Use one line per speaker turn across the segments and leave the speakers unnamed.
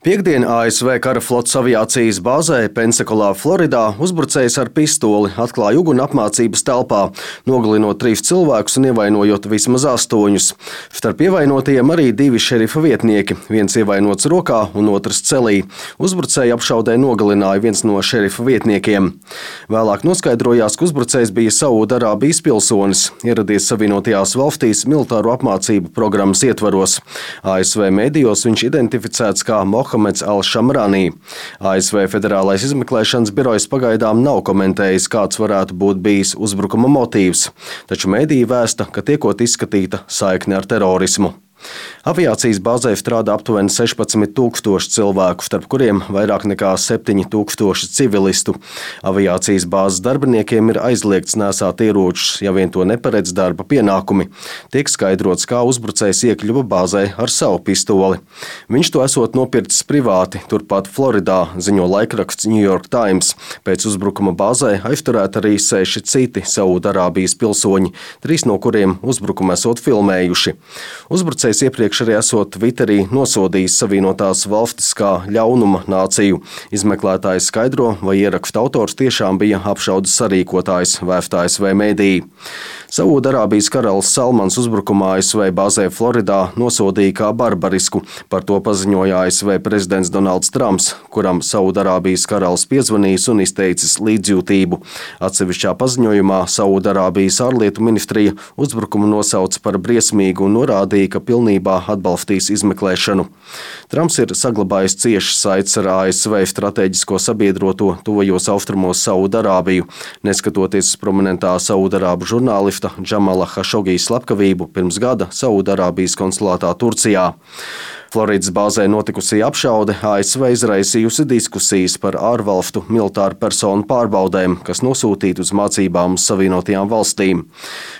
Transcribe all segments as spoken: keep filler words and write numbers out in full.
Piektdien A S V kara flotes aviācijas bāzē Pensakolā, Floridā, uzbrucējs ar pistoli atklāja uguni apmācības telpā, nogalinot trīs cilvēkus un ievainojot vismaz astoņus. Starp ievainotajiem arī divi šerifa vietnieki, viens ievainots rokā un otrs celī. Uzbrucēju apšaudē nogalināja viens no šerifa vietniekiem. Vēlāk noskaidrojās, ka uzbrucējs bija Saudarābijas pilsonis, ieradies Savienotajās valstīs militāro apmācību programmas ietvaros. A S V medijos viņš identificēts kā Mohameds Al-Šamrani. A S V Federālais izmeklēšanas birojs pagaidām nav komentējis, kāds varētu būt bijis uzbrukuma motīvs, taču mediji vēsta, ka tiekot izskatīta saikne ar terorismu. Aviācijas bāzē strādā aptuveni sešpadsmit tūkstoši cilvēku, starp kuriem vairāk nekā septiņi tūkstoši civilistu. Aviācijas bāzes darbiniekiem ir aizliegts nēsāt ieročus, ja vien to neparedz darba pienākumi. Tiek skaidrots, kā uzbrucējs iekļuva bāzē ar savu pistoli. Viņš to esot nopircis privāti, turpat Floridā, ziņo laikraksts New York Times. Pēc uzbrukuma bāzē aizturēti arī seši citi Saudarābijas pilsoņi, trīs no kuriem uzbrukumu esot filmējuši. Uzbrucējs iepriekš arī esot Twitterī nosodījis Savienotās valstis kā ļaunuma nāciju. Izmeklētājs skaidro, vai ieraksta autors tiešām bija apšaudes sarīkotājs, vēsta A S V mediji. Saudarābijas karalis Salmans uzbrukumā A S V bāzē Floridā nosodīja kā barbarisku. Par to paziņoja A S V prezidents Donalds Trumps, kuram Saudarābijas karalis piezvanījis un izteicis līdzjūtību. Atsevišķā paziņojumā Saudarābijas ārlietu ministrija uzbrukumu nosauca par briesmīgu un norādīja, ka pilnībā atbalstīs izmeklēšanu. Trumps ir saglabājis ciešas saites ar A S V strateģisko sabiedroto tuvajos austrumos Saudarābiju, neskatoties uz prominentā saudarābu žurnālista Džamala Hašogijas slepkavību pirms gada Saudarābijas konsulātā Turcijā. Floridas bāzē notikusī apšaude A S V izraisījusi diskusijas par ārvalstu militāru personu pārbaudēm, kas nosūtīti uz mācībām uz Savienotajām valstīm.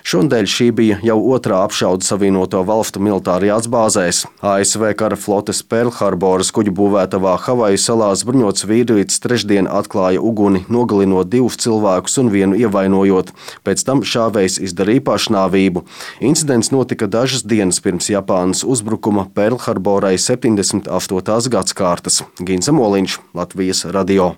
Šonadēļ šī bija jau otrā apšaude Savienoto valstu militārajās bāzēs. A S V kara flotes Perlharboras kuģu būvētavā Havaju salās bruņots vīrietis trešdien atklāja uguni, nogalinot divus cilvēkus un vienu ievainojot. Pēc tam šāvējs izdarīja pašnāvību. Incidents notika dažas dienas pirms Japānas uzbrukuma Perlharborai septiņdesmit astotās gadskārtas. Gins Amoliņš, Latvijas radio.